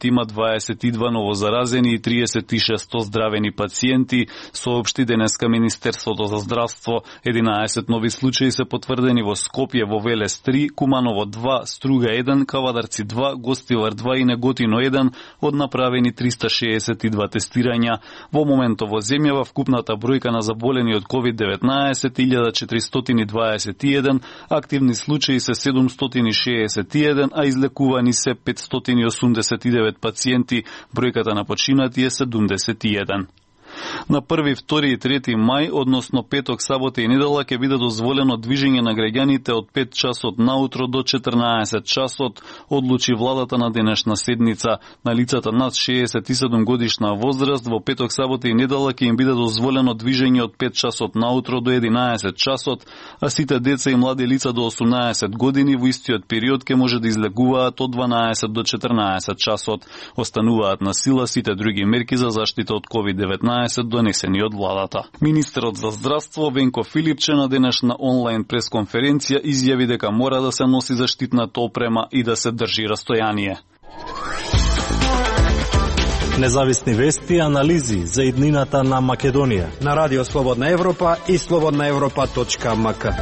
има 22 новозаразени и 36 оздравени пациенти, соопшти денеска Министерството за здравство. 11 нови случаи се потврдени во Скопје, во Велес 3, Куманово 2, Струга 1, Кавадарци 2, Гостивар 2 и Неготино 1 од направени 362 тестирања. Во моментот во земјава вкупната бројка на заболени од COVID-19 1421, активни случаи се 761, а излекувани се 589 пациенти, бројката на починати е 71. На 1, 2 и 3 мај, односно петок, сабота и недела, ќе биде дозволено движење на граѓаните од 5 часот наутро до 14 часот, одлучи владата на денешна седница. На лицата над 67 годишна возраст во петок, сабота и недела ќе им биде дозволено движење од 5 часот наутро до 11 часот, а сите деца и млади лица до 18 години во истиот период ќе може да излегуваат од 12 до 14 часот. Остануваат на сила сите други мерки за заштита од COVID-19 донесени од владата. Министерот за здравство Венко Филипче на денешна онлайн пресконференција изјави дека мора да се носи заштитната опрема и да се држи растојание. Независни вести и анализи за иднината на Македонија на Радио Слободна Европа и slobodnaevropa.mk.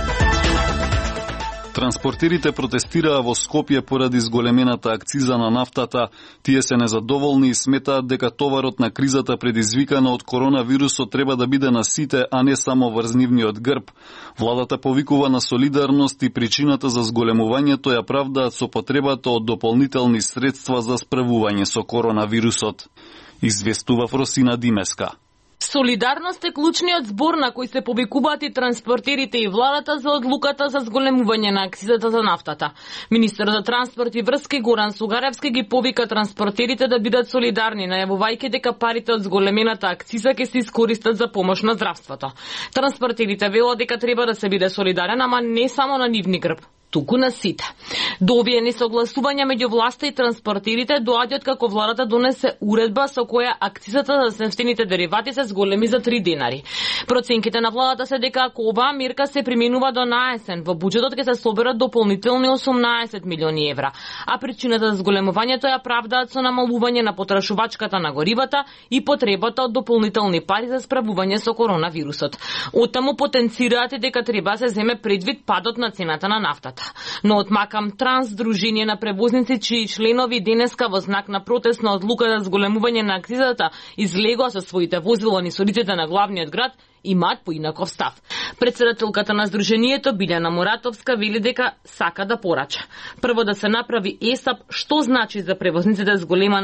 Транспортерите протестираа во Скопје поради зголемената акциза на нафтата. Тие се незадоволни и сметаат дека товарот на кризата предизвикана од коронавирусот треба да биде на сите, а не само врз нивниот грб. Владата повикува на солидарност и причината за зголемувањето ја правдаат со потребата од дополнителни средства за справување со коронавирусот. Известува Фросина Димеска. Солидарност е клучниот збор на кој се повикуваат и транспортерите и владата за одлуката за зголемување на акцизата за нафтата. Министер за транспорт и врски Горан Сугаревски ги повика транспортерите да бидат солидарни, најавувајќи дека парите од зголемената акциза ќе се искористат за помош на здравството. Транспортерите велат дека треба да се биде солидарен, ама не само на нивни грб, туку на сите. До овие несогласувања меѓу власта и транспортерите доаѓаат како владата донесе уредба со која акцизата за нефтените деривати се зголеми за 3 денари. Проценките на владата се дека ако оваа мерка се применува до наесен, во буџетот ќе се соберат дополнителни 18 милиони евра, а причината за зголемувањето ја правдаат со намалување на потрошувачката на горивата и потребата од дополнителни пари за справување со коронавирусот. Оттаму потенцираат и дека треба да се земе предвид падот на цената на нафтата. Но од Макам Транс, Дружение на превозници, чии членови денеска во знак на протест на одлука за зголемување на акцизата излегоа со своите возила низ улиците на главниот град, имаат поинаков став. Председателката на Сдруженијето Билјана Муратовска вели дека сака да порача. Прво да се направи ЕСАП што значи за превозниците зголема